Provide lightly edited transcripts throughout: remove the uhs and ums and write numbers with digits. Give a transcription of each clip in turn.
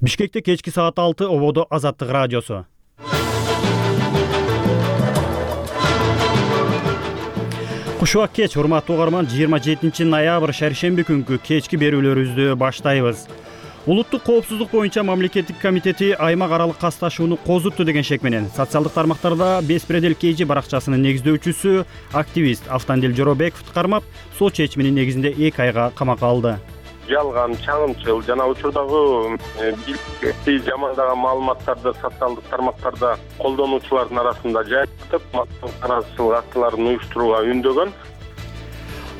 Бишкекте кечки саат 6 ободо Азаттык радиосу. Кушубак кеч, урматтуу угарман, 27 ноябрь шаршемби күнкү кечки берүүлөрүбүздү баштайбыз. Улуттук коопсуздук боюнча мамлекеттик комитети аймак аралык касташууну козутту деген шек менен социалдык тармактарда Беспредел KG баракчасынын негиздөөчүсү активист Автандил Жоробековду кармап, сот чечиминин негизинде 2 айга камакка алды. Жалган, чагымчыл жана учурдагы биликти жамандаган маалыматтарды социалдык тармактарда колдонуучулардын арасында жайылтып, наразычылык актыларын уюштурууга үндөгөн.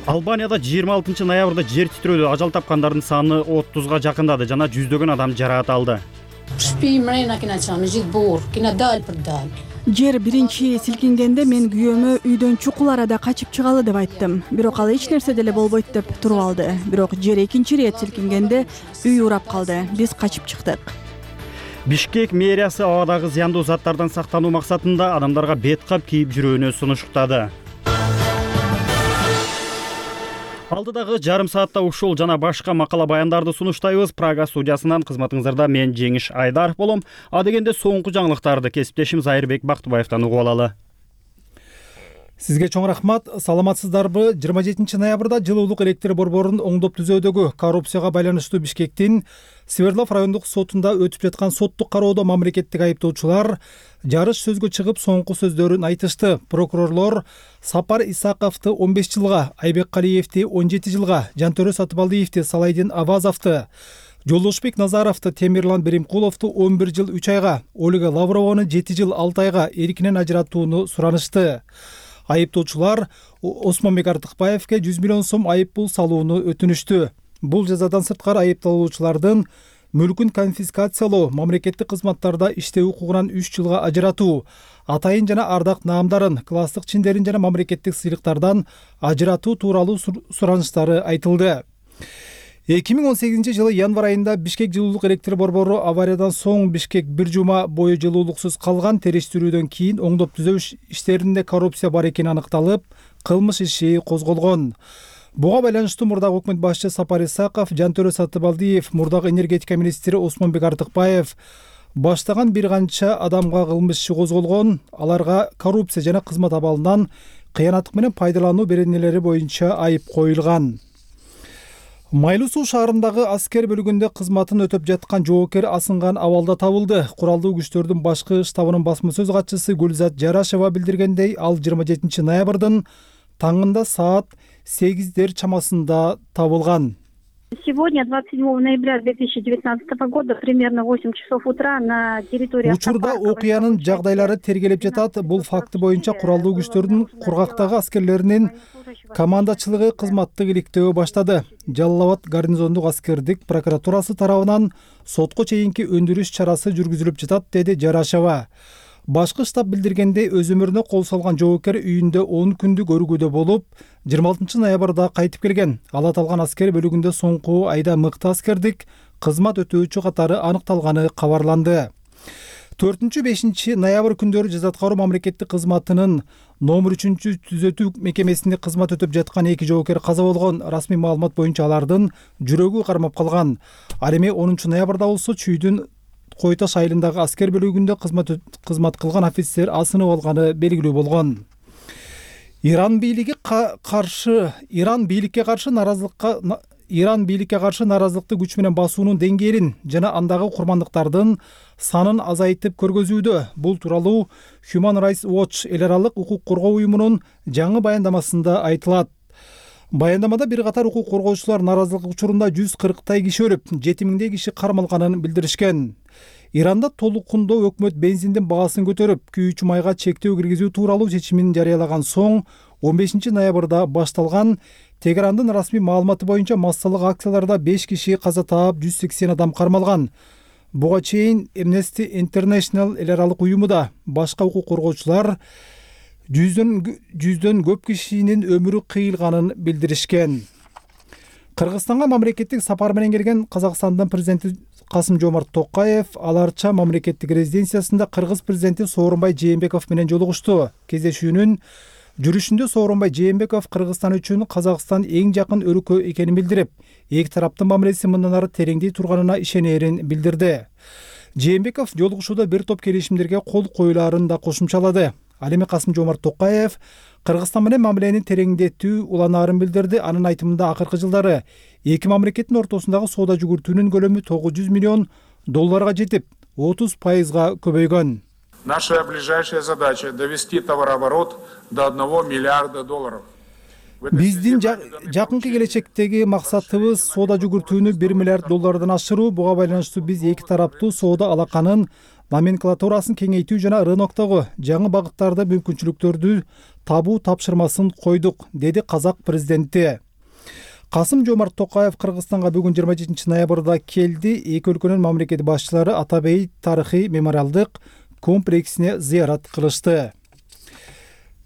Албанияда 26 ноябрда жер титирөөдө ажал тапкандардын саны 30га жакындады жана жүздөгөн адам жараат алды. Жер биринчи силкингенде мен күйөөмө үйдөн чукул арада качып чыгалы деп айттым. Бирок ал эч нерсе деле болбойт деп туруп алды. Бирок жер экинчи ирет силкингенде үй урап калды. Биз качып чыктык. Бишкек мэриясы абадагы зыяндуу заттардан сактануу максатында адамдарга бет кап кийип жүрүүнү сунуштады. Алдыдагы жарым саатта ушул жана башка макала баяндарды сунуштайбыз. Прага студиясынан кызматыңыздарда мен Жеңиш Айдаров болом. А дегенде соңку жаңылыктарды кесиптешим Зайырбек Бактыбаевтан угуп алалы. Сизге чоң рахмат. Саламатсыздарбы? 27 ноябрда жылуулук электр борборун оңдоп түзөөдөгү коррупцияга байланыштуу Бишкектин Свердлов райондук сотунда өтүп жаткан соттук кароодо мамлекеттик айыптоочулар жарыш сөзгө чыгып соңку сөздөрүн айтышты. Прокурорлор Сапар Исаковду 15 жылга, Айбек Калиевди 17 жылга, Жантөрө Сатыбалдиевди, Салайдин Авазовду, Жолдошбек Назаровду, Темирлан Беримкуловду 11 жыл 3 айга, Ольга Лаврованы 7 жыл 6 айга эркинен ажыратууну суранышты. Айыптоочулар Осмонбек Артыкбаевге 100 миллион сом айып пул салууну өтүнүштү. Бул жазадан сырткары айыпталуучулардын мүлкүн конфискациялоо, мамлекеттик кызматтарда иштөө укугунан 3 жылга ажыратуу, атайын жана ардак наамдарын, класстык чиндерин жана мамлекеттик сыйлыктардан ажыратуу тууралуу сураныштары айтылды. 2018 жылы январь айында Бишкек жылуулук электр борбору авариядан соң Бишкек бир жума бою жылуулуксуз калган, териштирүүдөн кийин оңдоп түзөө иштеринде коррупция бар экени аныкталып, кылмыш иши козголгон. Буга байланыштуу мурдагы өкмөт башчы Сапар Исаков, Жантөрө Сатыбалдиев, мурдагы энергетика министри Осмонбек Артыкбаев баштаган бир канча адамга кылмыш иши козголгон. Аларга коррупция жана кызмат абалынан кыянаттык менен пайдалануу беренелери боюнча айып коюлган. Майлуу Суу шаарындагы аскер бөлүгүндө кызматын өтөп жаткан жоокер асынган абалда табылды. Куралдуу күчтөрдүн башкы штабынын басма сөз катчысы Гүлзат Жарашева билдиргендей, ал 27 ноябрдын таңында саат 8 чамасында табылган. Сегодня, 27 ноября 2019 года, примерно 8 часов утра на территории... Учурда окуянын жагдайлары тергелеп жатат. Бул факты боюнча куралдуу күчтөрдүн кургактагы аскерлеринин командачылыгы кызматтык иликтөө баштады. Жалал Абад гарнизондук аскердик прокуратурасы тарабынан сотко чейинки өндүрүш чарасы жүргүзүлүп жатат, деди Жарашева. Башкы штаб билдиргендей, өз өмүрүнө кол салган жоокер үйүндө 10 күндүк өргүүдө болуп, 26 ноябрда кайтып келген. Ал аталган аскер бөлүгүндө соңку айда мыкты аскердик кызмат өтөөчү катары аныкталганы кабарланды. 4-5 ноябрь күндөрү жаза аткаруу мамлекеттик кызматынын номер 3 түзөтүү мекемесинде кызмат өтөп жаткан 2 жоокер каза болгон. Расмий маалымат боюнча алардын жүрөгү кармап калган. Ал эми 10 ноябрда болсо чүйдүн Койташ айылындагы аскер бөлүгүндө кызмат кылган офицер асынып алганы белгилүү болгон. Иран бийликке каршы наразылыкты күч менен басуунун деңгээлин жана андагы курмандыктардын санын азайтып көргөзүүдө. Бул тууралуу Human Rights Watch эл аралык укук коргоо уюмунун жаңы баяндамасында айтылат. Баяндамада бир катар укук коргоочулар наразылык учурунда 140 киши өлүп, 7000 киши кармалганын билдиришкен. Иранда толукундоо өкмөт бензиндин баасын көтөрүп, күйүүчү майга чектөө киргизүү тууралуу чечимин жарыялаган соң 15 ноябрда башталган Тегерандын расмий маалыматы боюнча массалык акцияларда 5 киши каза таап, 180 адам кармалган. Буга чейин Amnesty International эл аралык уюму да башка укук коргоочулар жүздөн көп кишинин өмүрү кыйылганын билдиришкен. Кыргызстанга мамлекеттик сапар менен келген Казакстандын президенти Касым-Жомарт Токаев аларча мамлекеттик резиденциясында кыргыз президенти Сооронбай Жээнбеков менен жолугушту. Кездешүүнүн Жүрүшүндө Сооронбай Жээнбеков Кыргызстан үчүн Казакстан эң жакын өлкө экенин билдирип, эки тараптын мамилеси мындан ары тереңдей турганына ишенерин билдирди. Жээнбеков жолугушууда бир топ келишимдерге кол коюлаарын да кошумчалады. Ал эми Касым-Жомарт Токаев Кыргызстан менен мамилени тереңдетүү уланаарын билдирди. Анын айтымында акыркы жылдары эки мамлекеттин ортосундагы соода жүгүртүүнүн көлөмү $900 миллион жетип, 30% көбөйгөн. Наша ближайшая задача — довести товарооборот до $1 миллиарда. Биздин жакынкы келечектеги максатыбыз соода жүгүртүүнү $1 миллиард ашыруу. Буга байланыштуу биз эки тараптуу соода алаканын номенклатурасын кеңейтүү жана рыноктогу жаңы багыттарда мүмкүнчүлүктөрдү табуу тапшырмасын койдук, деди казак президенти. Касым-Жомарт Токаев Кыргызстанга бүгүн 27 ноябрда келди. Эки өлкөнүн мамлекет башчылары Ата Бейит тарыхый мемориалдык комплексине зыярат кылышты.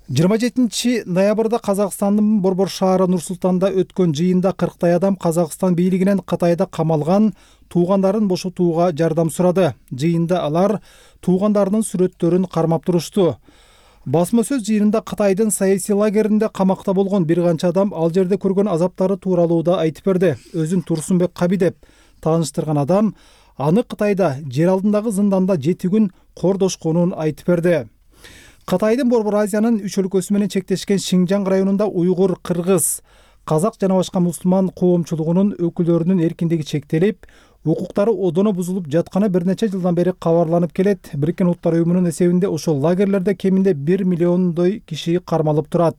27 ноябрда Казакстандын Борбор шаары Нур-Султанда өткөн жыйында 40 адам Казакстан бийлигинен Кытайда камалган туугандарын бошотууга жардам сурады. Жыйында алар туугандарынын сүрөттөрүн кармап турушту. Басма сөз жыйынында Кытайдын саясий лагеринде камакта болгон бир канча адам ал жерде көргөн азаптары тууралуу да айтып берди. Өзүн Турсунбек Каби деп тааныштырган адам аны Кытайда жер алдындагы зынданда 7 күн кордошконун айтып берди. Кытайдын Борбор Азиянын 3 өлкөсү менен чектешкен Шинжаң районунда уйгур, кыргыз, казак жана башка мусулман коомчулугунун өкүлдөрүнүн эркиндиги чектелип, укуктары одоно бузулуп жатканы бир нече жылдан бери кабарланып келет. Бириккен Улуттар уюмунун эсебинде ошол лагерлерде кеминде 1 миллиондой киши кармалып турат.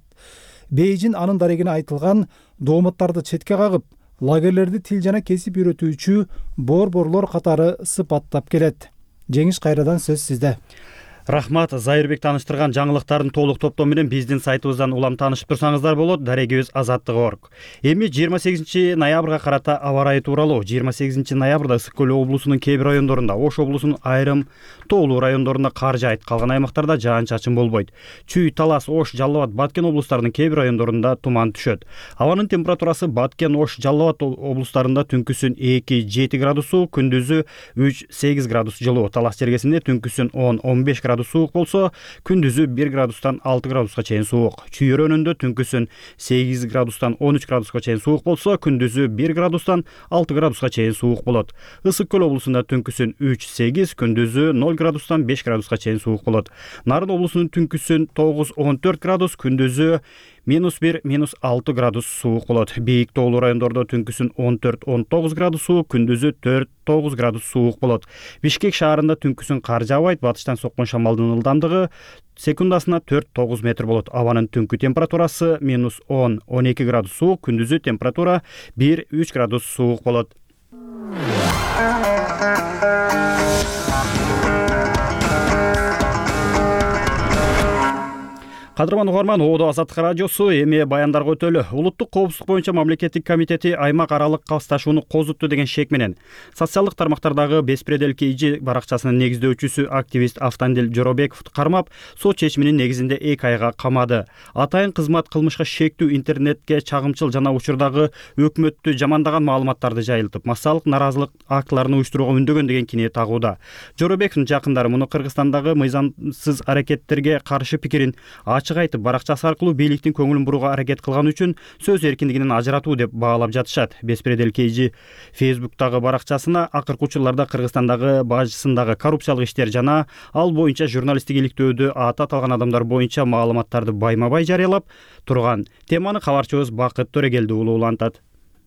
Бейжин анын дарегине айтылган дооматтарды четке кагып, лагерлерди тил жана кесип үйрөтүүчү борборлор катары сыпаттап келет. Жеңиш, кайрадан сөз сизде. Рахмат. Зайырбек тааныштырган жаңылыктардын толук топтому менен биздин сайтыбыздан улам таанышып турсаңыздар болот. Дарегибиз Азаттык.org. Эми 28 ноябрга карата аба ырайы тууралуу. 28 ноябрда Ысык Көл облусунун кээ бир райондорунда, Ош облусунун айрым тоолуу райондорунда кар жаайт. Калган аймактарда жаан-чачын болбойт. Чүй, Талас, Ош, Жалал Абад, Баткен облустарынын кээ бир райондорунда туман түшөт. Абанын температурасы Баткен, Ош, Жалал Абад облустарында түнкүсүн 2-7 градусу, күндүзү 3-8 градус жылуу. Талас жергесинде түнкүсүн 10-15 градус суук болсо, күндүзү 1 градустан 6 градуска чейин суук. Чүй өрөөнүндө түнкүсүн 8 градустан 13 градуска чейин суук болсо, күндүзү 1 градустан 6 градуска чейин суук болот. Ысык Көл облусунда түнкүсүн 3-8, күндүзү 0 градустан 5 градуска чейин суук болот. Нарын облусунун түнкүсүн 9-14 градус, күндүзү -1, -6 градус суук болот. Бийик тоолуу райондордо түнкүсүн 14-19 градус суук, күндүзү 4-9 градус суук болот. Бишкек шаарында түнкүсүн кар жаабайт, батыштан соккон шамалдын ылдамдыгы секундасына 4-9 метр болот. Абанын түнкү температурасы -10-12 градус суук, күндүзү температура 1-3 градус суук болот. Кадырман угарман, Оодо Азаттык радиосу эми баяндарга өтөлү. Улуттук коопсуздук боюнча мамлекеттик комитети аймак аралык касташууну козутту деген шек менен социалдык тармактардагы Беспредел KG баракчасынын негиздөөчүсү активист Автандил Жоробековду кармап, сот чечиминин негизинде 2 айга камады. Атайын кызмат кылмышка шектүү интернетке чагымчыл жана учурдагы өкмөттү жамандаган маалыматтарды жайылтып, массалык наразылык актыларын уюштурууга үндөгөн деген кине тагууда. Жоробековдун жакындары муну Кыргызстандагы мыйзамсыз аракеттерге каршы пикирин ачык айтып, баракчасы аркылуу бийликтин көңүлүн бурууга аракет кылган үчүн сөз эркиндигинен ажыратуу деп баалап жатышат. Беспредел KG Facebook'тагы баракчасына акыркы учурларда Кыргызстандагы бажысындагы коррупциялык иштер жана ал боюнча журналисттик иликтөөдө аты аталган адамдар боюнча маалыматтарды байма-бай жарыялап турган. Теманы кабарчыбыз Бакыт Төрегелди улуулантат.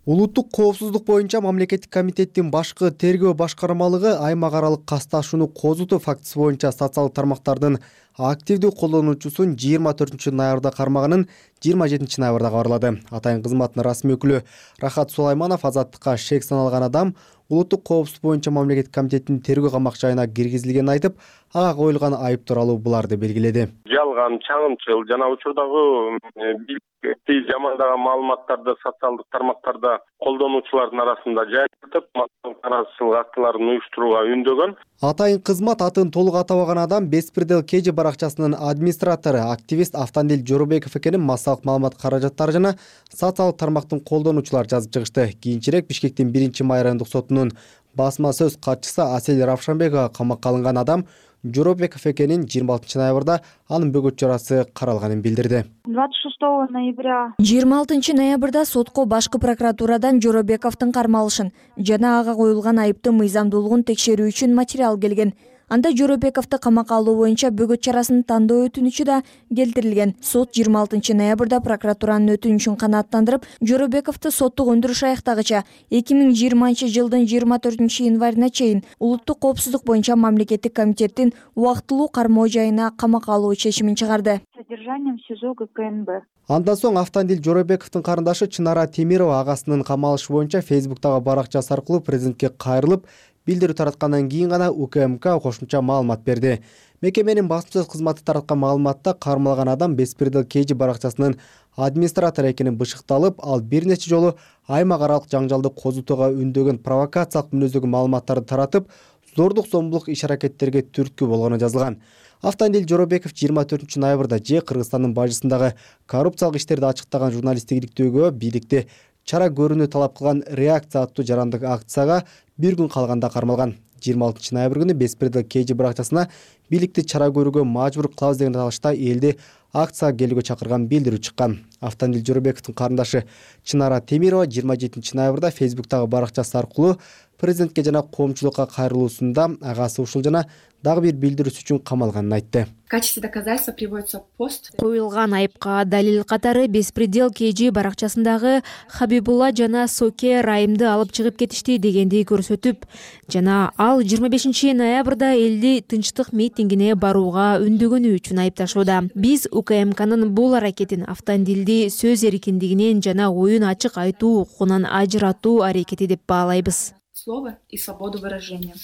Улуттук коопсуздук боюнча мамлекеттик комитеттин башкы тергөө башкармалыгы аймак аралык касташууну козутуу фактысы боюнча социалдык тармактардын активдүү колдонуучусун 24 ноябрда кармаганын 27 ноябрда кабарлады. Атайын кызматтын расмий өкүлү Рахат Сулайманов Азаттыкка шек саналган адам улуттук коопсуздук боюнча мамлекеттик комитеттин тергөө камак жайына киргизилгенин айтып, ага коюлган айып тууралуу буларды белгиледи. Жалган, чагымчыл жана учурдагы бийликти жамандаган маалыматтарды социалдык тармактарда колдонуучулардын арасында жайылтып, наразылык актыларын уюштурууга үндөгөн. Атайын кызмат атын толук атабаган адам Беспредел KG баракчасынын администратору активист Автандил Жоробеков экенин массалык маалымат каражаттары жана социалдык тармактын колдонуучулары жазып чыгышты. Кийинчерээк Бишкектин 1-май райондук сотунун басма сөз катчысы Асель Равшанбекова камакка алынган адам Жоробеков экенин 26-ноябрда анын бөгөт чарасы каралганын билдирди. 26 ноября 26 ноябрда сотко башкы прокуратурадан Жоробековдун кармалышын жана ага коюлган айыптын мыйзамдуулугун текшерүү үчүн материал келген. Анда Жоробековду камакка алуу боюнча бөгөт чарасын тандоо өтүнүчү да келтирилген. Сот 26 ноябрда прокуратуранын өтүнүчүн канааттандырып, Жоробековду соттук өндүрүш аяктагыча 2020-жылдын 24 январына чейин улуттук коопсуздук боюнча мамлекеттик комитеттин убактылуу кармоо жайына камакка алуу чечимин чыгарды. содержанием СИЗО ГКНБ. Андан соң Автандил Жоробековдун карындашы Чынара Темирова агасынын камалышы боюнча Фейсбуктагы баракчасы аркылуу президентке кайрылып, билдирүү тараткандан кийин гана УКМК кошумча маалымат берди. Мекеменин басма сөз кызматы тараткан маалыматта кармалган адам Беспредел KG баракчасынын администратору экени бышыкталып, ал бир нече жолу аймак аралык жаңжалды козутууга үндөгөн провокациялык мүнөздөгү маалыматтарды таратып, зордук зомбулук иш-аракеттерге түрткү болгону жазылган. Автандил Жоробеков 24 ноябрда Кыргызстандын бажысындагы коррупциялык иштерди ачыктаган журналисттик иликтөөгө бийликти чара көрүүнү талап кылган реакция аттуу жарандык акцияга бир күн калганда кармалган. 26 ноябрь күнү Беспредел KG баракчасына бийликти чара көрүүгө мажбур кылабыз деген талашта элди акцияга келүүгө чакырган билдирүү чыккан. Автандил Жоробековдун карындашы Чынара Темирова 27 ноябрда Фейсбуктагы баракчасы аркылуу президентке жана коомчулукка кайрылуусунда агасы ушул жана дагы бир билдирүүсү үчүн камалганын айтты. В качестве доказательства приводится пост. Коюлган айыпка далил катары Беспредел KG баракчасындагы Хабибулла жана Соке Райымды алып чыгып кетишти дегенди көрсөтүп, жана ал 25 ноябрда элди тынчтык митингине барууга үндөгөнү үчүн айыпташууда. Биз УКМКнын бул аракетин Автандилди сөз эркиндигинен жана оюн ачык айтуу укугунан ажыратуу аракети деп баалайбыз. Слово и свободу выражения.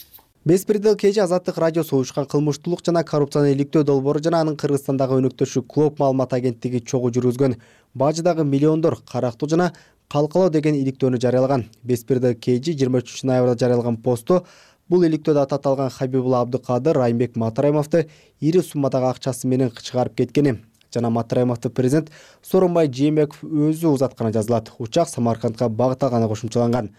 Беспредел KG Азаттык радиосу уюшкан кылмыштуулук жана коррупцияны иликтөө долбоору жана анын Кыргызстандагы өнөктөшү Клоп маалымат агенттиги чогуу жүргүзгөн бажыдагы миллиондор карактуу жана калкалоо деген иликтөөнү жарыялаган. Беспредел KG 23 ноябрда жарыялаган посту бул иликтөөдө аты аталган Хабибулла Абдыкадыр Райымбек Матраимовду ири суммадагы акчасы менен чыгарып кеткени жана Матраимовду президент Сооронбай Жээнбеков өзү узатканы жазылат. Учак Самаркандга багыт алганы кошумчаланган.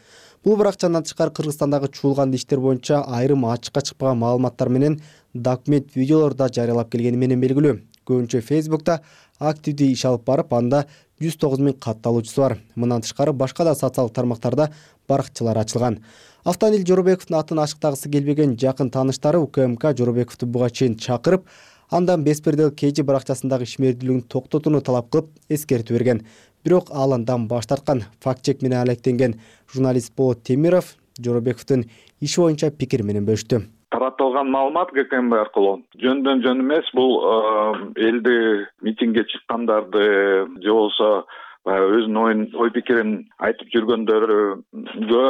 Бул баракчадан тышкары Кыргызстандагы чуулган иштер боюнча айрым ачыкка чыкпаган маалыматтар менен документ видеолор да жарыялап келгени менен белгилүү. Көбүнчө Фейсбукта активдүү иш алып барып, анда 109 000 катталуучусу бар. Мындан тышкары башка да социалдык тармактарда баракчалар ачылган. Автандил Жоробековдун атын ачыктагысы келбеген жакын тааныштары УКМК Жоробековду буга чейин чакырып, андан Беспредел KG баракчасындагы ишмердүүлүгүн токтотууну талап кылып эскертүү берген. Бирок ал андан баш тарткан. Факт-чек менен алектенген журналист Болот Темиров Жоробековдун иши боюнча пикир менен бөлүштү. Таратылган маалымат ГКМБ аркылуу жөндөн жөн эмес. Бул элди митингге чыккандарды же болбосо өзүнүн ой пикирин айтып жүргөндөргө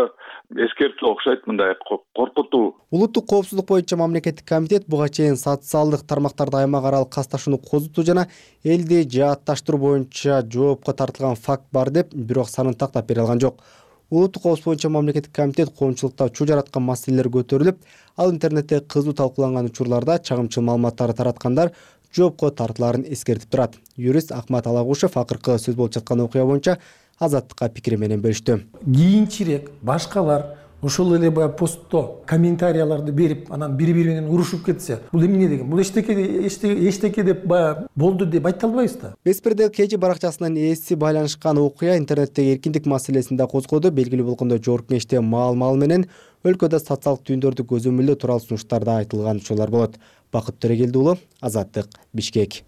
эскертүү окшойт, мындай коркутуу. Улуттук коопсуздук боюнча мамлекеттик комитет буга чейин социалдык тармактарда аймак аралык касташууну козутуу жана элди жаатташтыруу боюнча жоопко тартылган факт бар деп, бирок санын тактап бере алган жок. Улуттук коопсуздук боюнча мамлекеттик комитет коомчулукта чуу жараткан маселелер көтөрүлүп, ал интернетте кызуу талкууланган учурларда чагымчыл маалыматтарды тараткандар жоопко тартылаарын эскертип турат. Юрист Акмат Алагушев акыркы сөз болуп жаткан окуя боюнча Азаттыкка пикири менен бөлүштү. Кийинчерээк башкалар ошол эле баягы постто комментарияларды берип, анан бири-бири менен урушуп кетсе, бул эмне деген? Бул эчтеке деп баягы болду деп айта албайбыз да. Беспредел KG баракчасынын ээси байланышкан окуя интернеттеги эркиндик маселесин да козгоду. Белгилүү болгондой, жогорку кеңеште маал менен өлкөдө социалдык түйүндөрдү көзөмөлдөө тууралуу сунуштар да айтылган учурлар болот. Бакыт Төрегелди уулу, Азаттык, Бишкек.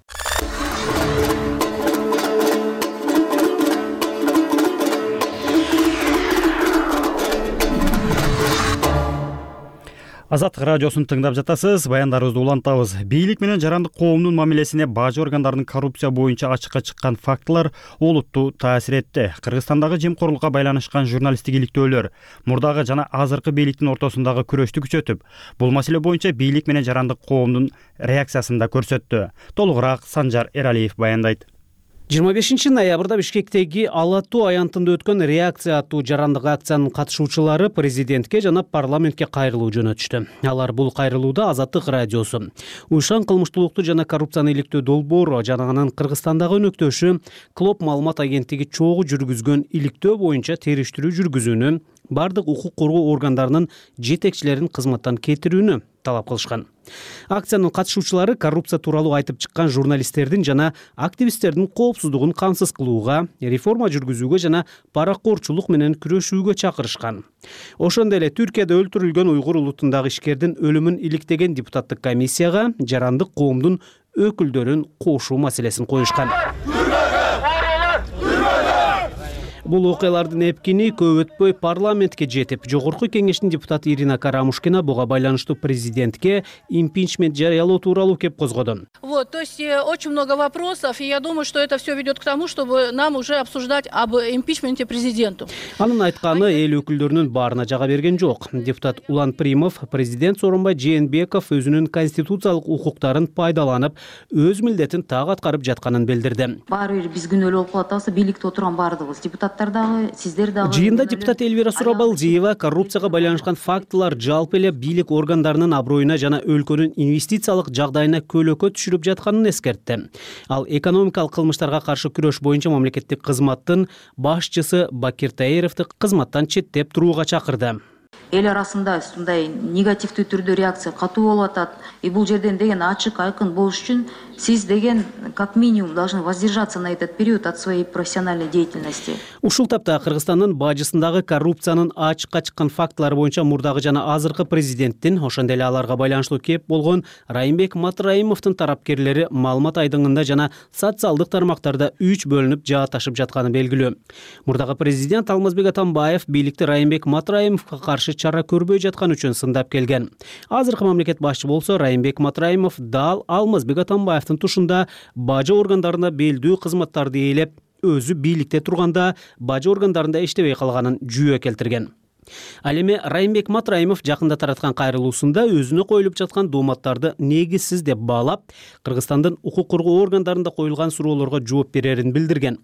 Азаттык радиосун тыңдап жатасыз. Баяндарыбызды улантабыз. Бийлик менен жарандык коомдун мамилесине бажы органдарынын коррупция боюнча ачыкка чыккан фактылар олуттуу таасир этти. Кыргызстандагы жемкорлукка байланышкан журналисттик иликтөөлөр мурдагы жана азыркы бийликтин ортосундагы күрөштү күчөтүп, бул маселе боюнча бийлик менен жарандык коомдун реакциясын да көрсөттү. Толугураак Санжар Эралиев баяндайт. 25 ноябрда Бишкектеги Ала Тоо аянтында өткөн реакция аттуу жарандык акциянын катышуучулары президентке жана парламентке кайрылуу жөнөтүштү. Алар бул кайрылууда Азаттык радиосу, Уйшан кылмыштуулукту жана коррупцияны иликтөө долбоору жана анын Кыргызстандагы өнөктөшү Клоп маалымат агенттиги чогуу жүргүзгөн иликтөө боюнча териштирүү жүргүзүүнү, бардык укук коргоо органдарынын жетекчилерин кызматтан кетирүүнү талап кылышкан. Акциянын катышуучулары коррупция тууралуу айтып чыккан журналисттердин жана активисттердин коопсуздугун камсыз кылууга, реформа жүргүзүүгө жана паракорчулук менен күрөшүүгө чакырышкан. Ошондой эле Түркияда өлтүрүлгөн уйгур улутундагы ишкердин өлүмүн иликтеген депутаттык комиссияга жарандык коомдун өкүлдөрүн кошуу маселесин коюшкан. Бул окуялардын эпкини көп өтпөй парламентке жетип, Жогорку кеңештин депутаты Ирина Карамушкина буга байланыштуу президентке импичмент жарыялоо тууралуу кеп козгоду. То есть очень много вопросов, и я думаю, что это все ведет к тому, чтобы нам уже обсуждать об импичменте президенту. Анын айтканы эл өкүлдөрүнүн баарына жага берген жок. Депутат Улан Примов, президент Сооронбай Жээнбеков өзүнүн конституциялык укуктарын пайдаланып, өз милдетин так аткарып жатканын билдирди. Баары бир биз күнөөлүү болуп калат атабыз, бийликте отурган баардыгыбыз, депутаттар дагы, сиздер дагы. Жыйында депутат Элвира Сурабалдиева коррупцияга байланышкан фактылар жалпы эле бийлик органдарынын аброюна жана өлкөнүн инвестициялык жагдайына көөлөкө түшүрүп жатканын эскертти. Ал экономикалык кылмыштарга каршы күрөш боюнча мамлекеттик кызматтын башчысы Бакир Таировду кызматтан четтеп турууга чакырды. Эл арасында ушундай негативдүү түрдө реакция катуу болуп атат. И бул жерден деген ачык, айкын болуш үчүн сиз деген как минимум должны воздержаться на этот период от своей профессиональной деятельности. Ушул тапта Кыргызстандын бажысындагы коррупциянын ачыкка чыккан фактылары боюнча мурдагы жана азыркы президенттин, ошондой эле аларга байланыштуу кеп болгон Райымбек Матраимовдун тарапкерлери маалымат айдыңында жана социалдык тармактарда 3 бөлүнүп жааташып жатканы белгилүү. Мурдагы президент Алмазбек Атамбаев бийликти Райымбек Матраимовго каршы чара көрбөй жаткан үчүн сындап келген. Азыркы мамлекет башчы болсо Райымбек Матраимов дал Алмазбек Атамбаевдин тушунда бажы органдарына белдүү кызматтарды ээлеп, өзү бийликте турганда бажы органдарында иштебей калганын жүйө келтирген. Ал эми Райымбек Матраимов жакында тараткан кайрылуусунда өзүнө коюлуп жаткан дооматтарды негизсиз деп баалап, Кыргызстандын укук коргоо органдарында коюлган суроолорго жооп берерин билдирген.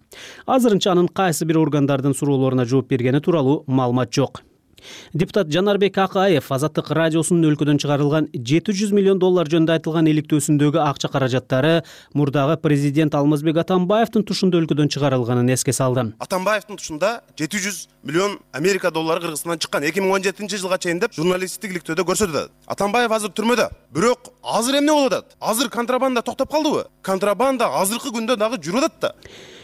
Азырынча анын кайсы бир органдардын суроолоруна жооп бергени тууралуу маалымат жок. Депутат Жанарбек Акаев Азаттык радиосунун өлкөдөн чыгарылган $700 миллион жөнүндө айтылган иликтөөсүндөгү акча каражаттары мурдагы президент Алмазбек Атамбаевдин тушунда өлкөдөн чыгарылганын эске салды. Атамбаевдин тушунда $700 миллион Америка доллары Кыргызстандан чыккан 2017 жылга чейин деп журналисттик иликтөөдө көрсөтүлөт. Атамбаев азыр түрмөдө. Бирок азыр эмне болуп атат? Азыр контрабанда токтоп калдыбы? Контрабанда азыркы күндө дагы жүрүп атат да.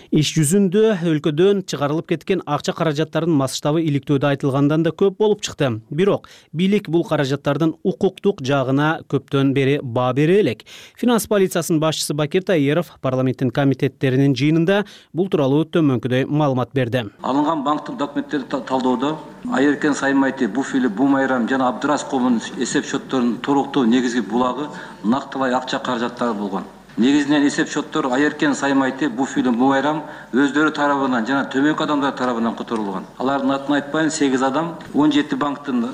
Иш жүзүндө өлкөдөн чыгарылып кеткен акча каражаттарынын масштабы иликтөөдө айтылгандан да көп болуп чыкты. Бирок бийлик бул каражаттардын укуктук жагына көптөн бери баа бере элек. Финанс полициясынын башчысы Бакир Таиров парламенттин комитеттеринин жыйынында бул тууралуу төмөнкүдөй маалымат берди. Алынган банктык документтерди талдоодо Айеркен Саймайти, Буфили, Бумайрам жана Абдырас коомунун эсеп счетторунун туруктуу негизги булагы нактылай акча каражаттары болгон. Негизинен эсеп счеттор Айеркен Саймайти, Буфили, Бумайрам өздөрү тарабынан жана төмөнкү адамдар тарабынан которулган. Алардын атын айтпайын, 8 адам 17 банктын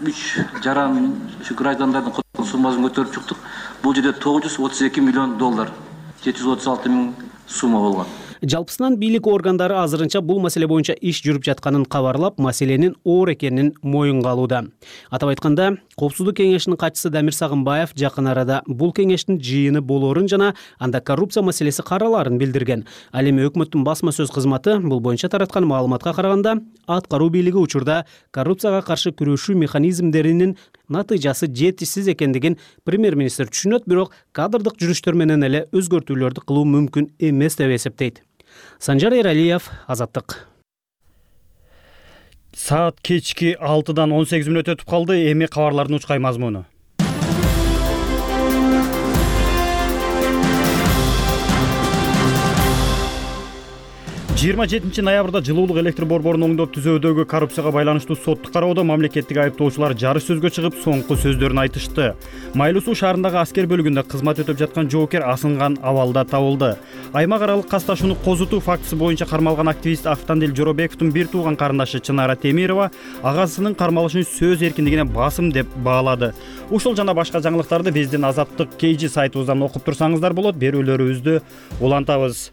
3 жаран граждандардын суммасын көтөрүп чыктык. Бул жерде $932 миллион, 736 000 сумма болгон. Жалпысынан бийлик органдары азырынча бул маселе боюнча иш жүрүп жатканын кабарлап, маселенин оор экенин моюнга алууда. Атап айтканда, Коопсуздук кеңешинин катчысы Дамир Сагынбаев жакын арада бул кеңештин жыйыны болоорун жана анда коррупция маселеси каралаарын билдирген. Ал эми өкмөттүн басма сөз кызматы бул боюнча тараткан маалыматка караганда, аткаруу бийлиги учурда коррупцияга каршы күрөшүү механизмдеринин натыйжасы жетишсиз экендигин премьер-министр түшүнөт, бирок кадрдык жүрүштөр менен эле өзгөртүүлөрдү кылуу мүмкүн эмес деп эсептейт. Санжар Эралиев, Азаттык. Саат кечки 6-дан 18 мүнөт өтүп калды. Эми кабарлардын учкай мазмуну. 27 ноябрда жылуулук электр борборунун оңдоп түзөөдөгү коррупцияга байланыштуу соттук кароодо мамлекеттик айыптоочулар жарыш сөзгө чыгып, соңку сөздөрүн айтышты. Майлуу суу шаарындагы аскер бөлүгүндө кызмат өтөп жаткан жоокер асынган абалда табылды. Аймак аралык касташууну козутуу фактысы боюнча кармалган активист Автандил Жоробековдун бир тууган карындашы Чынара Темирова агасынын кармалышын сөз эркиндигине басым деп баалады. Ушул жана башка жаңылыктарды биздин Азаттык KG сайтыбыздан окуп турсаңыздар болот. Берүүлөрүбүздү улантабыз.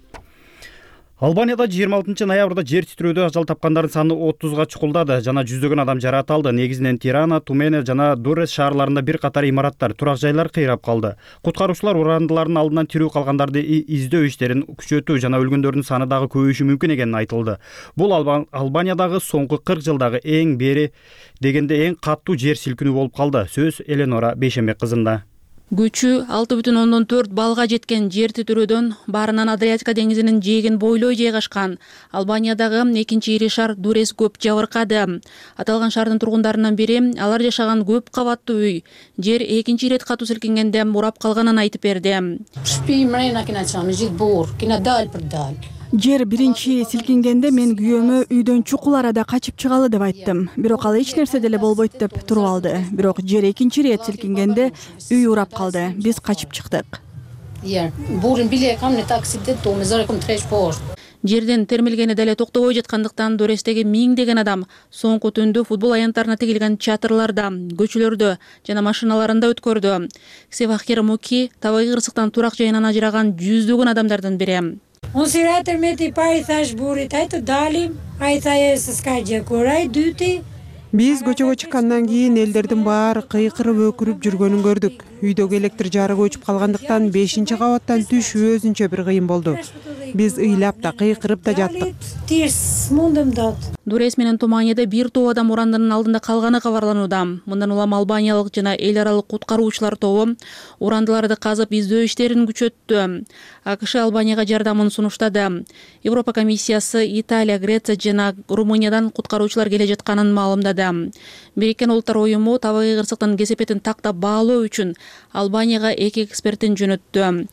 Албанияда 26 ноябрда жер титирөөдө ажал тапкандардын саны 30га чукулдады жана жүздөгөн адам жаракат алды. Негизинен Тирана, Тумене жана Дурес шаарларында бир катар имараттар, турак жайлар кыйрап калды. Куткаруучулар урандылардын алдынан тирүү калгандарды издөө иштерин күчөтүү жана өлгөндөрдүн саны дагы көбөйүшү мүмкүн экени айтылды. Бул Албаниядагы соңку 40 жылдагы эң бери дегенде эң каттуу жер силкинүү болуп калды. Сөз Эленора Бейшембек кызында. Күчү 6,4 балга жеткен жер титирөөдөн баарынан Адриатика деңизинин жээгин бойлой жайгашкан Албаниядагы экинчи ири шаар Дурес көп жабыркады. Аталган шаардын тургундарынын бири алар жашаган көп кабаттуу үй жер экинчи ирет катуу силкингенде урап калганын айтып берди. Жер биринчи силкингенде мен күйөөмө үйдөн чукул арада качып чыгалы деп айттым. Бирок ал эч нерсе деле болбойт деп туруп алды. Бирок жер экинчи ирет силкингенде үй урап калды. Биз качып чыктык. Жерден термилгени деле токтобой жаткандыктан Дурестеги миңдеген адам соңку түндү футбол аянттарына тигилген чатырларда, көчөлөрдө жана машиналарында өткөрдү. Севахир Муки табигый кырсыктан турак жайынан ажыраган жүздөгөн адамдардын бири. Биз көчөгө чыккандан кийин элдердин баары кыйкырып өкүрүп жүргөнүн көрдүк. Үйдөгү электр жарыгы өчүп калгандыктан 5-кабаттан түшүү өзүнчө бир кыйын болду. Биз ыйлап да кыйкырып да жаттык. Дурес менен Туманияда бир топ адам урандынын алдында калганы кабарланууда. Мындан улам албаниялык жана эл аралык куткаруучулар тобу урандыларды казып издөө иштерин күчөттү. АКШ Албанияга жардамын сунуштады. Европа комиссиясы Италия, Греция жана Румыниядан куткаруучулар келе жатканын маалымдады. Бириккен Улуттар уюму табигый кырсыктын кесепетин тактап баалоо үчүн Албанияга 2 экспертин жөнөттү.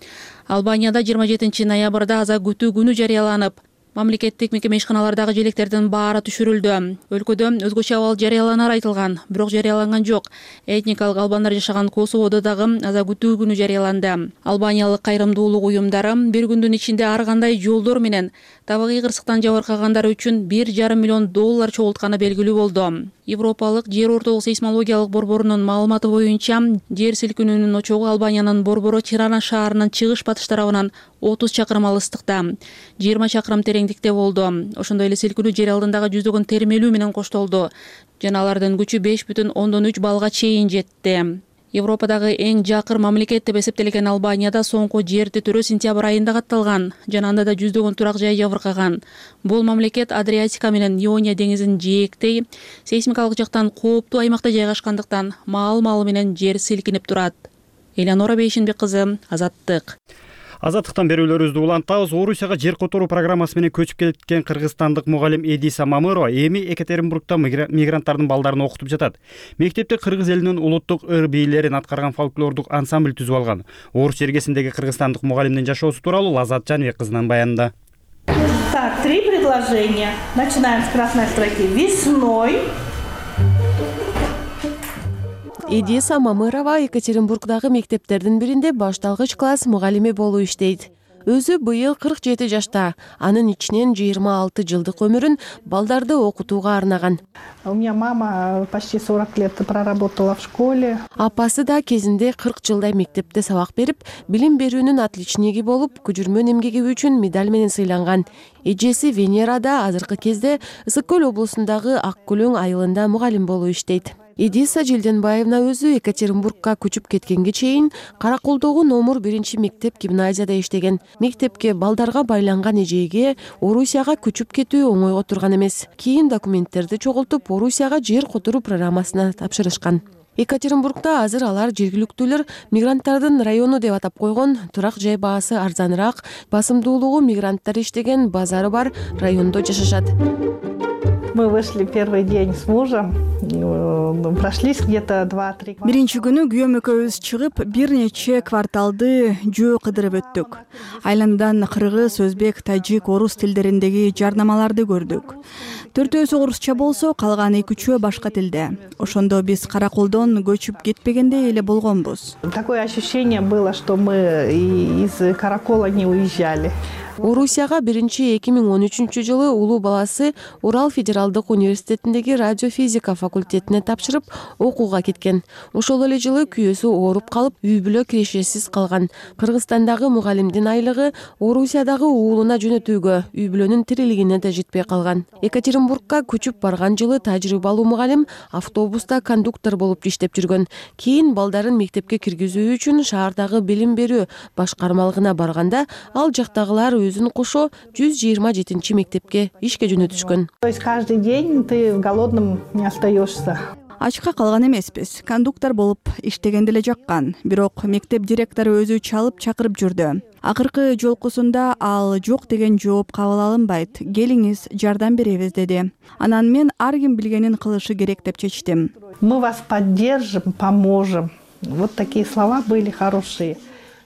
Албанияда 27 ноябрда аза күтүү күнү жарыяланып, мамлекеттик мекеме ишканалардагы желектердин баары түшүрүлдү. Өлкөдө өзгөчө абал жарыяланар айтылган, бирок жарыяланган жок. Этникалык албандар жашаган Косоводо дагы аза күтүү күнү жарыяланды. Албаниялык кайрымдуулук уюмдары бир күндүн ичинде ар кандай жолдор менен табигый кырсыктан жабыркагандар үчүн $1,5 миллион чогултканы белгилүү болду. Европалык жер ортолук сейсмологиялык борборунун маалыматы боюнча, жер силкинүүнүн очогу Албаниянын борбору Тирана шаарынын чыгыш-батыш тарабынан 30 чакырым алыстыкта, 20 чакырым тереңдикте болду. Ошондой эле силкинүү жер алдындагы жүздөгөн термелүү менен коштолду жана алардын күчү 5,3 балга чейин жетти. Европадагы эң жакыр мамлекет деп эсептелген Албанияда соңку жер титирөө сентябрь айында катталган жана анда да жүздөгөн турак жай жабыркаган. Бул мамлекет Адриатика менен Иония деңизин жээктей, сейсмикалык жактан кооптуу аймакта жайгашкандыктан маал-маалы менен жер силкинип турат. Эленора Бейшембек кызы, Азаттык. Азаттыктан берүүлөрүбүздү улантабыз. Орусияга жер которуу программасы менен көчүп кеткен кыргызстандык мугалим Эдиса Мамырова эми Екатеринбургда мигранттардын балдарын окутуп жатат. Мектепте кыргыз элинин улуттук ыр бийлерин аткарган фольклордук ансамбль түзүп алган. Орус жергесиндеги кыргызстандык мугалимдин жашоосу тууралуу Лазат Жаныбек кызынын баянында. Так, 3 предложения. Начинаем с красной строки. Весной. Эдиса Мамырова Екатеринбургдагы мектептердин биринде башталгыч класс мугалими болуп иштейт. Өзү быйыл 47 жашта. Анын ичинен 26 жылдык өмүрүн балдарды окутууга арнаган. У меня мама почти 40 лет проработала в школе. Апасы да кезинде 40 жылдай мектепте сабак берип, билим берүүнүн отличниги болуп, көчүрмөн эмгеги үчүн медаль менен сыйланган. Эжеси Венера да азыркы кезде Ысык Көл облусундагы Ак Көлөң айылында мугалим болуп иштейт. Эдиса Желденбаевна өзү Екатеринбургка көчүп кеткенге чейин Каракулдогу номер 1 мектеп гимназияда иштеген. Мектепке балдарга байланган эжеге Орусияга көчүп кетүү оңойго турган эмес. Кийин документтерди чогултуп, Орусияга жер которуу программасына тапшырышкан. Екатеринбургда азыр алар жергиликтүүлөр мигранттардын району деп атап койгон, турак жай баасы арзаныраак, басымдуулугу мигранттар иштеген базары бар райондо жашашат. Мы вышли первый день с мужем, прошлись где-то 2-3 квартала. Биринчи күнү күйөөм экөөбүз чыгып, бир нече кварталды жөө кыдырып өттүк. Айландан кыргыз, өзбек, тажик, орус тилдериндеги жарнамаларды көрдүк. 4-өөсү орусча болсо, калган 2-3 башка тилде. Ошондо биз Каракулдон көчүп кетпегендей эле болгонбуз. Такое ощущение было, что мы из Каракола не уезжали. Орусияга 2013 жылы улуу баласы Урал федерал федералдык университетиндеги радиофизика факультетине тапшырып окууга кеткен. Ошол эле жылы күйөөсү ооруп калып, үй бүлө кирешесиз калган. Кыргызстандагы мугалимдин айлыгы Орусиядагы уулуна жөнөтүүгө, үй бүлөнүн тирилигине да жетпей калган. Екатеринбургка көчүп барган жылы тажрыйбалуу мугалим автобуста кондуктор болуп иштеп жүргөн. Кийин балдарын мектепке киргизүү үчүн шаардагы билим берүү башкармалыгына барганда, ал жактагылар өзүн кошо 127 мектепке ишке жөнөтүшкөн. То есть каждый день ты голодным не остаешься. Ачка калган эмеспиз. Кондуктор болуп иштеген деле жаккан. Бирок мектеп директору өзү чалып чакырып жүрдү. Акыркы жолкусунда ал жок деген жооп кабыл алынбайт. Келиңиз, жардам беребиз деди. Анан мен ар ким билгенин кылышы керек деп чечтим. Мы вас поддержим, поможем. Вот такие слова были хорошие.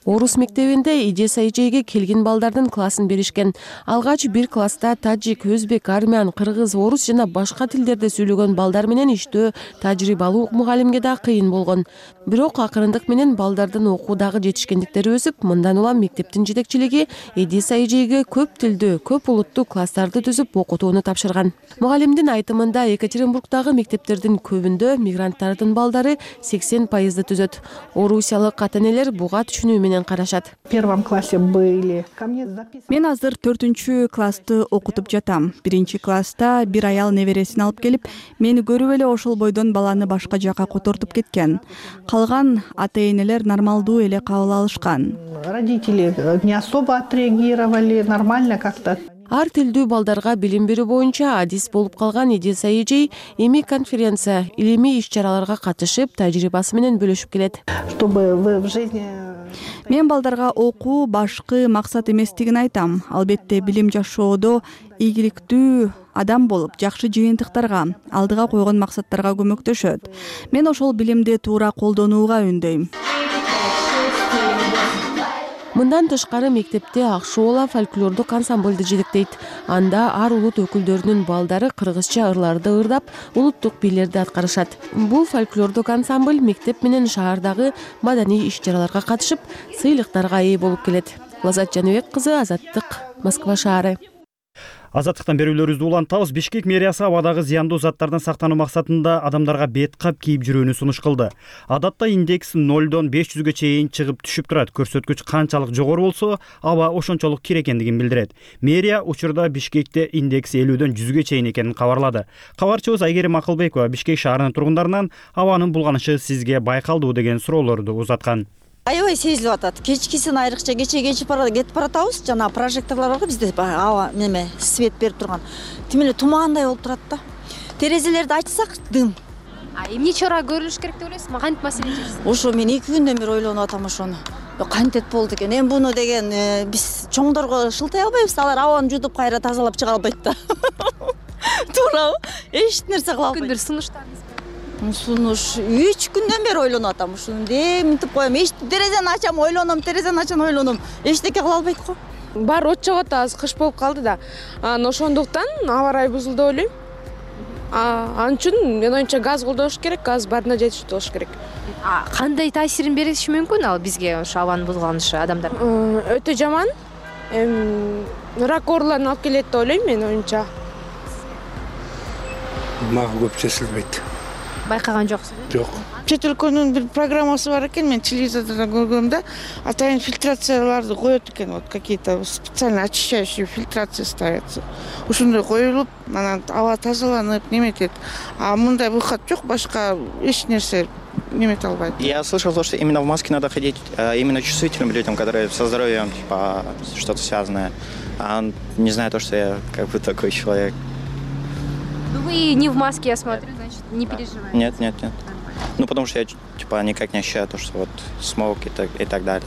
Орус мектебинде Идеса эжейге келген балдардын классын беришкен. Алгач бир класста таджик, өзбек, армян, кыргыз, орус жана башка тилдерде сүйлөгөн балдар менен иштөө тажрыйбалуу мугалимге да кыйын болгон. Бирок акырындык менен балдардын окуудагы жетишкендиктери өсүп, мындан улам мектептин жетекчилиги Идеса эжейге көп тилдүү, көп улуттуу класстарды түзүп окутууну тапшырган. Мугалимдин айтымында Екатеринбургдагы мектептердин көбүндө мигранттардын балдары 80% түзөт. Орусиялык ата-энелер буга түшүнүү менен карашат. В первом классе были. Мен азыр 4 классты окутуп жатам. 1 класста бир аял небересин алып келип, мени көрүп эле ошол бойдон баланы башка жака котортуп кеткен. Калган ата-энелер нормалдуу эле кабыл алышкан. Родители не особо отреагировали, нормально как-то. Ар тилдүү балдарга билим берүү боюнча адис болуп калган Идеса эжей эми конференция, илимий иш-чараларга катышып, тажрыйбасы менен бөлүшүп келет. Чтобы вы в жизни Мен балдарга окуу башкы максат эместигин айтам. Албетте билим жашоодо ийгиликтүү адам болуп, жакшы жыйынтыктарга, алдыга койгон максаттарга көмөктөшөт. Мен ошол билимди туура колдонууга үндөйм. Мындан тышкары мектепте Акшоола фольклордук ансамбльды жетектейт. Анда ар улут өкүлдөрүнүн балдары кыргызча ырларды ырдап, улуттук бийлерди аткарышат. Бул фольклордук ансамбль мектеп менен шаардагы маданий иш-чараларга катышып, сыйлыктарга ээ болуп келет. Лазат Жаныбек кызы, Азаттык, Москва шаары. Азаттыктан берүүлөрүбүздү улантабыз. Бишкек мэриясы абадагы зыяндуу заттардан сактануу максатында адамдарга бет кап кийип жүрүүнү сунуш кылды. Адатта индекс 0дон 500ге чейин чыгып түшүп турат. Көрсөткүч канчалык жогору болсо, аба ошончолук кир экендигин билдирет. Мэрия учурда Бишкекте индекс 50дөн 100ге чейин экенин кабарлады. Кабарчыбыз Айгерим Акылбекова Бишкек шаарынын тургундарынан абанын булганышы сизге байкалдыбы деген суроолорду узаткан. Аябай сезилип атат. Кечкисин айрыкча кетип баратабыз. Жана прожекторлор барбы бизде аба неме свет берип турган. Тим эле тумаандай болуп турат да. Терезелерди ачсак дым. Эмне чара көрүлүш керек деп ойлойсузбу? Кантип маселе чечсиз? Ошо мен 2 күндөн бери ойлонуп атам ошону. Кантет болду экен. Эми буну деген биз чоңдорго шылтай албайбыз. Алар абаны жутуп кайра тазалап чыга албайт да. Туурабы? Эч нерсе кыла албайт. Күндөр сунуштарыңыз Сунуш 3 күндөн бери ойлонуп атам. Ушуну деминтип коем. Эч терезени ачам, ойлоном, терезени ачам, ойлоном. Эчтеке кыла албайт го. Баары от жагат, азыр кыш болуп калды да. Ошондуктан аба ырайы бузулду деп ойлойм. Ал үчүн мен оюмча газ колдош керек, газ баарына жетиштүү болуш керек. Кандай таасирин бериши мүмкүн ал бизге ошо абанын бузулганышы адамдар? Өтө жаман. Рак ооруларын алып келет деп ойлойм мен оюмча. Мага көп сезилбейт. Байкаган жоксуз? Жок. Чет өлкөнүн бир программасы бар экен, мен телевизордон көргөм да, атайын фильтрацияларды коет экен, вот какие-то специально очищающие фильтрации ставятся. Ушундай коюлуп, анан аба тазаланып, неметет. А мындай выход жок, башка эч нерсе немете албайт. Я слышал то, что именно в маске надо ходить именно чувствительным людям, которые со здоровьем, типа, что-то связанное. Не знаю то, что я как бы такой человек. Вы не в маске, я смотрю, значит, не переживаете? Нет. Ну, потому что я, типа, никак не ощущаю то, что вот смог и так далее.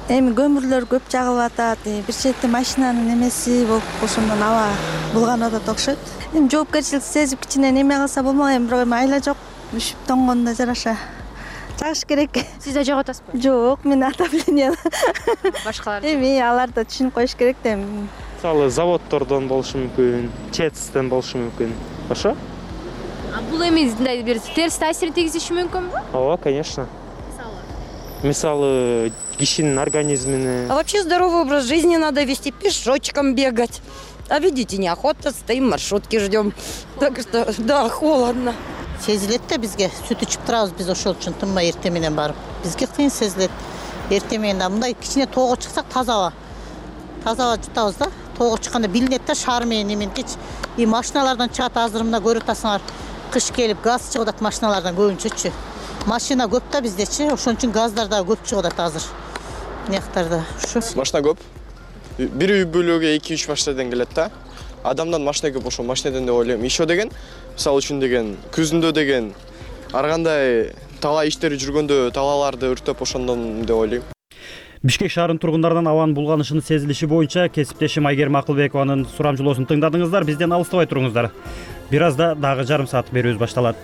Эми көмүрлөр көп жагылып атат. Бир четте машинанын немеси болуп, ошондон аба булганып атат окшойт. Эми жоопкерчилик сезип кичине неме кылса болмок, эми бирок айла жок. Үшүп тоңгондо жараша. Чагыш керек. Сиз да жагып атасызбы? Жок, мен отопление. Башкалар. Эми алар да түшүнүп коюш керек да. Мисалы заводдордон болушу мүмкүн, ЧЭЦтен болушу мүмкүн. Ошо? Бул эми мындай бир терс таасир тийгизиши мүмкүнбү? Ооба, конечно. Мисалы, кишинин организмине. А вообще здоровый образ жизни надо вести, пешочком бегать. А видите, неохота, стоим, маршрутки ждем. Так что, да, холодно. Сезилет да бизге сүт ичип турабыз биз ошол үчүн тынбай эртең менен барып. Бизге кыйын сезилет. Эртең менен мындай кичине тоого чыксак таза аба жутабыз да. Тоого чыкканда билинет да шаар менен эменкич. И машиналардан чыгат азыр мына көрүп атасыңар. Кыш келип газ чыгып атат машиналардан көбүнчөчү. Машина көп да биздечи, ошон үчүн газдар да көп чыгып атат азыр. Мияктарда ушу. Машина көп. Бир үй бүлөгө 2-3 машинадан келет да. Адамдан машина көп ошол машинадан деп ойлойм. Ишо деген, мисалы үчүн деген, күзүндө деген ар кандай талаа иштери жүргөндө талааларды өртөп ошондон деп ойлойм. Бишкек шаарынын тургундарынан абанын булганышынын сезилиши боюнча кесиптешим Айгерим Акылбекованын сурамжылоосун тыңдадыңыздар. Бизден алыстабай туруңуздар. Бир азда дагы жарым саат берүүбүз башталат.